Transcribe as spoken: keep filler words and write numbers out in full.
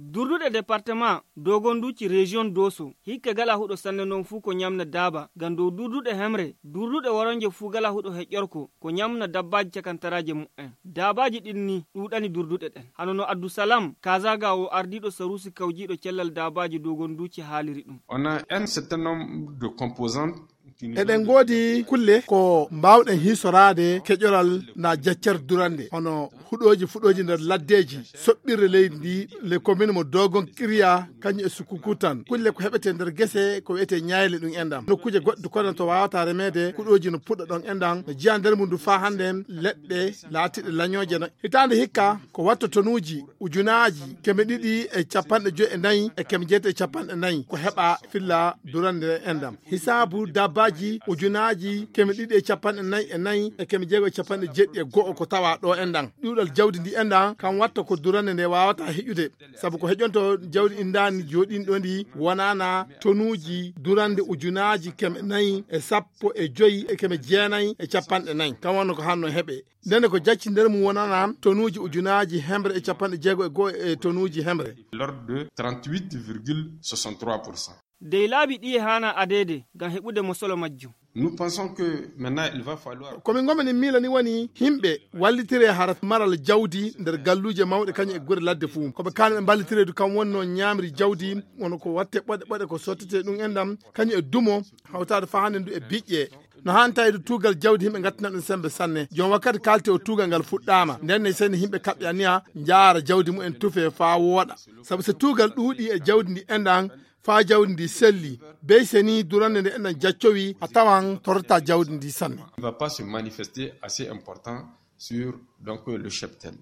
Durduɗe département dogonduci région doso hikka gala huɗo sanne non fuu ko ñamna daaba ngam dow durduɗe hemre durduɗe woronje fuu gala huɗo heƴƴorko ko ñamna dabbaaji cakantaraaje mu'en. Daabaaji ɗin ni ɗuuɗani durduɗe ɗen. Hano no Abdusalam Kazaga o ardiiɗo saruusi kawjiiɗo cellal daabaaji dogonduci haaliri ɗum. On a un certain nombre de composantes. Eɗen ngoodi kulle ko mbaawɗen hiisoraade keƴoral na jaccer durande hono huɗooji fuɗooji nder laddeeji soɓɓirre leydi ndi le commune mo dogon kiriya kañum e sukukutan kulle ko heɓete nder gese ko wiyete ñayle ɗum enɗam nokkuuje goɗɗe kono to wawata remeede kuɗooji no puɗɗa ɗon enɗam no jeya nder mum ndu faa hannde leɗɗe laatiɗe lañooje no hitaande hikka ko watta tonuuji ujunaaji keme ɗiɗi e capanɗe joyi e nayi e keme jeetati e capanɗe nayi ko heɓa filla durande enɗam hisaabu dabbaaji ujunaaji keme ɗiɗi e capanɗe nayi e nayi e keme jeego e capanɗe jeeɗiɗi e go'o ko tawa ɗo enɗam ɗuuɗal jawdi ndi enɗam kam watta ko durande nde wawata heƴude sabu ko heƴonto jawdi indaani jooɗinɗo ndi wonana tonuuji durande ujunaaji keme nayi e sappo e joyi e keme jeenayi e capanɗe nayi kam wonno ko hanno heɓe ndene ko jacci nder mum wonana tonuuji ujunaaji hemre e capanɗe jeego e go'o e tonuuji hemre. L'ordre de trente-huit virgule soixante-trois pour cent. Dey laabi ɗiye haana adeede ngam heɓude mosolo majjum. Nous pensons que maintenant il va falloir. Komin gomani miila ni woni himɓe wallitire hara maral jawdi nder galluuje mawɗe kañum e gure ladde fuu koɓe kaani ɓe mballitireedu kam wonno ñaamri jawdi wona ko watte ɓoɗe ɓoɗe ko sottete ɗum enɗam kañum e dumo hawtaade faa hannde ndu e biƴƴe no haani tawiide tuugal jawdi yimɓe ngattina ɗum sembe sanne joom wakkati kaalte o tuugal ngal fuɗɗaama nden ne seni yimɓe kaɓɓe aniya njaara jawdi mumen tufe faa wooɗa sabu so tuugal ɗuuɗi e jawdi ndi enɗan faa jawdi ndi selli bey seni durande nde enɗan jaccowi a tawan torata jawdi ndi sanne. Ne va pas se manifester assez important sur donc le cheptel.